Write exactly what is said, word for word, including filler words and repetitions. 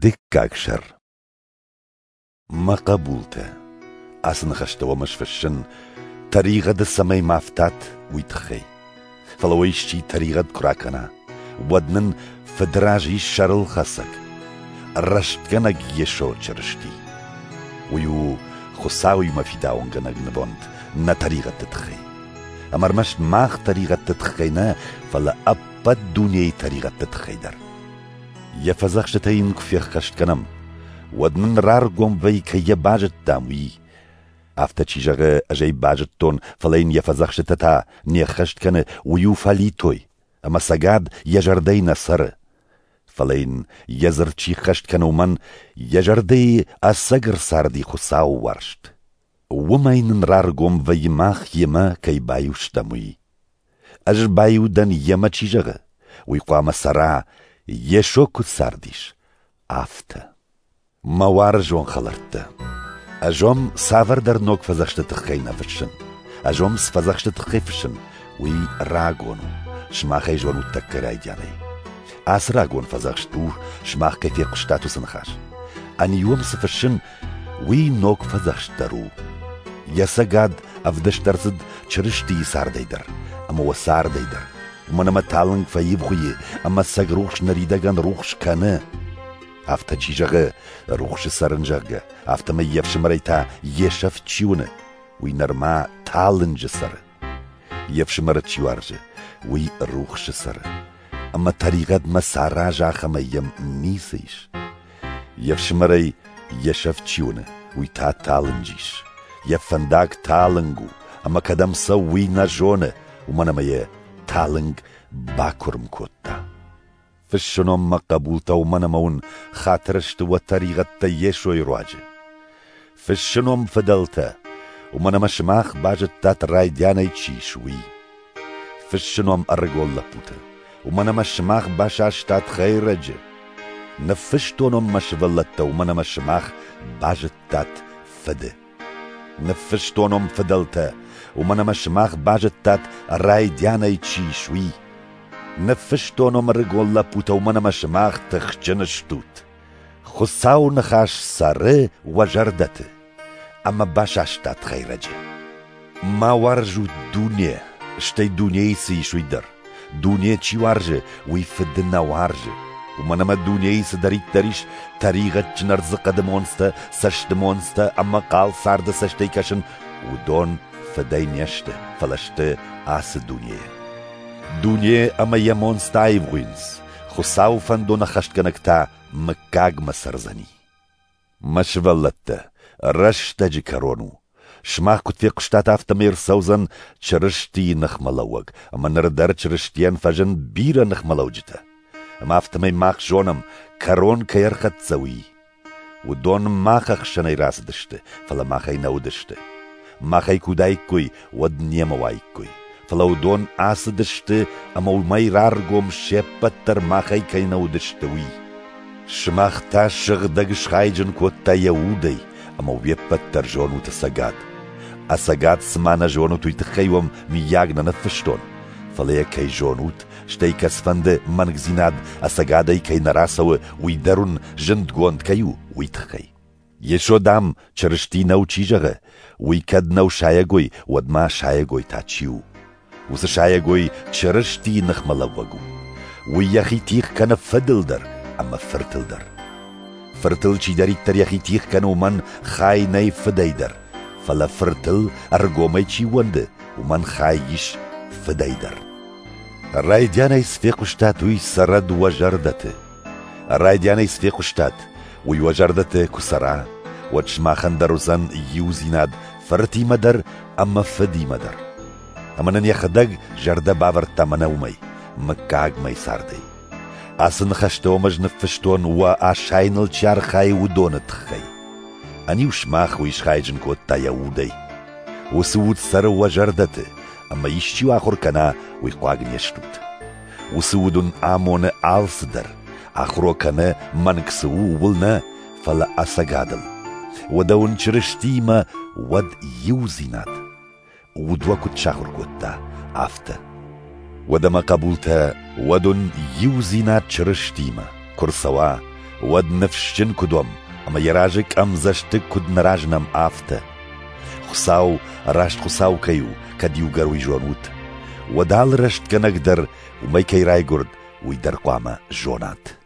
Дыккаг сӕр. Мӕ хъӕбултӕ, ацы ныхӕстӕ уӕм ӕз фыссын, тӕригъӕды цӕмӕй ма фтат, уый тыххӕй. Фӕлӕ уӕ исчи тӕригъӕд куы ракӕна, уӕд нын Фыды раз ис сӕрылхӕцӕг, рӕстгӕнӕг Йесо Чырысти. Уый у Хуыцауимӕ фидауынгӕнӕг нывонд нӕ тӕригъӕдты тыххӕй. Ӕмӕ ӕрмӕст мах тӕригъӕдты тыххӕй нӕ, фӕлӕ ӕппӕт дунейы тӕригъӕдты тыххӕй дӕр. Йӕ фӕдзӕхстытӕ йын куы феххӕст кӕнӕм, уӕд нын раргом вӕййы, кӕй йӕ базыдтам, уый. Афтӕ чи зӕгъы, ӕз ӕй базыдтон, фӕлӕ йын йӕ фӕдзӕхстытӕ та не ххӕст кӕны, уый у фӕлитой, ӕмӕ ӕцӕгад йӕ зӕрдӕйы нӕ цӕры. Фӕлӕ йын йӕ дзырд чи ххӕст кӕны, уымӕн йӕ зӕрдӕйы ӕцӕг ӕрцарди Хуыцауы уарзт. Уымӕй нын раргом вӕййы, мах йемӕ кӕй баиу стӕм, уый. Ӕз баиу дӕн йемӕ чи зӕгъы, уый хъуамӕ цӕра, Йесо куыд цардис, афтӕ. Мӕ уарзон хӕлӕрттӕ, ӕз уӕм цавӕрдӕр ног фӕдзӕхсты тыххӕй нӕ фыссын. Ӕз уӕм цы фӕдзӕхсты тыххӕй фыссын, уый рагон у, сымах ӕй зонут тӕккӕ райдианӕй. Ацы рагон фӕдзӕхст у, сымах кӕй фехъуыстат, уыцы ныхас. Ӕниу уӕм цы фыссын, уый ног фӕдзӕхст дӕр у. Йӕ цӕгад ӕвдыст ӕрцыд Чырыстийы цардӕй дӕр ӕмӕ уӕ цардӕй дӕр. Уымӕн ӕмӕ талынг фӕивгъуыйы ӕмӕ ӕцӕг рухс ныридӕгӕн рухс кӕны. Афтӕ чи зӕгъы, рухсы цӕрын, зӕгъгӕ, афтӕмӕй йе фсымӕрӕй та йе сӕфт чи уыны, уый нырма талынджы цӕры. Йе фсымӕры чи уарзы, уый рухсы цӕры. Ӕмӕ тӕригъӕдмӕ сараза, ахӕмӕй йӕм ницы ис. Йе фсымӕрӕй йе сӕфт чи уыны, уый та талынджы ис. Йӕ фӕндаг талынг у, ӕмӕ кӕдӕм цӕуы, уый нӕ зоны, уымӕн ӕмӕ йӕ талынг бакуырм кодта. Фыссын уӕм, мӕ хъӕбултӕ, уымӕн ӕмӕ уын хатыр сты уӕ тӕригъӕдтӕ Йесойы руаджы. Фыссын уӕм, фыдӕлтӕ, уымӕн ӕмӕ сымах базыдтат, райдианӕй чи ис, уый. Фыссын уӕм, ӕрыгон лӕппутӕ, уымӕн ӕмӕ сымах басастат хӕйрӕджы. Ныффыстон уӕм, мӕ сывӕллӕттӕ, уымӕн ӕмӕ сымах базыдтат Фыды. Ныффыстон уӕм, фыдӕлтӕ, уымӕн ӕмӕ сымах базыдтат, райдианӕй чи ис, уый. Ныффыстон уӕм, ӕрыгон лӕппутӕ, уымӕн ӕмӕ сымах тыхджын стут. Хуыцауы ныхас цӕры уӕ зӕрдӕты, ӕмӕ басастат хӕйрӕджы. Ма уарзут дуне, стӕй дунейы цы ис, уый дӕр. Дуне чи уарзы, уый Фыды нӕ уарзы. Уымӕн ӕмӕ дунейы цыдӕриддӕр ис, тӕригъӕдджын ӕрдзыхъӕды монцтӕ, цӕсты монцтӕ ӕмӕ хъал царды цӕстӕй кӕсын, уыдон Фыдӕй не сты, фӕлӕ сты ацы дунейы. Дуне ӕмӕ йӕ монцтӕ аивгъуыйынц, Хуыцауы фӕндон ӕххӕстгӕнӕг та мыггагмӕ цӕрдзӕни. Мӕ сывӕллӕттӕ, рӕстӕджы кӕрон у. Сымах куыд фехъуыстат, афтӕмӕй ӕрцӕудзӕн Чырыстийы ныхмӕлӕууӕг, ӕмӕ ныр дӕр Чырыстийӕн фӕзынд бирӕ ныхмӕлӕуджытӕ. Ӕмӕ афтӕмӕй мах зонӕм, кӕрон кӕй ӕрхӕццӕ, уый. Уыдон мах ӕхсӕнӕй рацыдысты, фӕлӕ махӕй нӕ уыдысты. Махӕй куы уыдаиккой, уӕд немӕ уаиккой. Фӕлӕ уыдон ацыдысты, ӕмӕ уымӕй раргом се ппӕт дӕр махӕй кӕй нӕ уыдысты, уый. Сымах та сыгъдӕг схайджын кодта йӕ удӕй, ӕмӕ уе ппӕт дӕр зонут ӕцӕгад. Ӕцӕгад цыма нӕ зонут, уый тыххӕй уӕм мыййаг нӕ ныффыстон, фӕлӕ йӕ кӕй зонут, стӕй кӕцыфӕнды мӕнгдзинад ӕцӕгадӕй кӕй нӕ рацӕуы, уый дӕр уын зындгонд кӕй у, уый тыххӕй. Йесо, дам, Чырысти нӕу чи зӕгъы, уый кӕд нӕу сайӕгой, уӕд ма сайӕгой та чи у? Уыцы сайӕгой Чырыстийы ныхмӕлӕууӕг у. Уый йӕхи тигъ кӕны Фыдыл дӕр ӕмӕ Фыртыл дӕр. Фыртыл чидӕриддӕр йӕхи тигъ кӕны, уымӕн хай нӕй Фыдӕй дӕр, фӕлӕ Фыртыл ӕргомӕй чи ууӕнды, уымӕн хай ис Фыдӕй дӕр. Райдианӕй цы фехъуыстат, уый цӕрӕд уӕ зӕрдӕты. Райдианӕй цы фехъуыстат, уый уӕ зӕрдӕты куы цӕра, уӕд сымахӕн дӕр уыдзӕн иудзинад Фыртимӕ дӕр ӕмӕ Фыдимӕ дӕр. Ӕмӕ нын йӕхӕдӕг зӕрдӕ бавӕрдта мӕнӕ уымӕй, мыггагмӕй цардӕй. Ацы ныхӕстӕ уӕм ӕз ныффыстон, уӕ асайыныл чи архайы, уыдоны тыххӕй. Ӕниу сымах уый схайджын кодта йӕ удӕй. Уыцы уд цӕры уӕ зӕрдӕты, ӕмӕ исчи ахуыр кӕна, уый хъуаг не стут. Уыцы уд уын амоны алцыдӕр, ахуыр уӕ кӕны, мӕнг цы у, ууыл нӕ, фӕлӕ ӕцӕгадыл. Уӕдӕ уын Чырыстиимӕ уӕд иудзинад. Уд уӕ куыд сахуыр кодта, афтӕ. Уӕдӕ мӕ хъӕбултӕ, уӕд уын иудзинад Чырыстиимӕ куы рцӕуа, уӕд ныфсджын куыд уӕм, ӕмӕ йӕ разы къӕмдзӕстыг куыд нӕ разынӕм, афтӕ. Хуыцау раст Хуыцау кӕй у, кӕд иугӕр уый зонут, уӕд алы рӕстгӕнӕг дӕр уымӕй кӕй райгуырд, уый дӕр хъуамӕ зонат.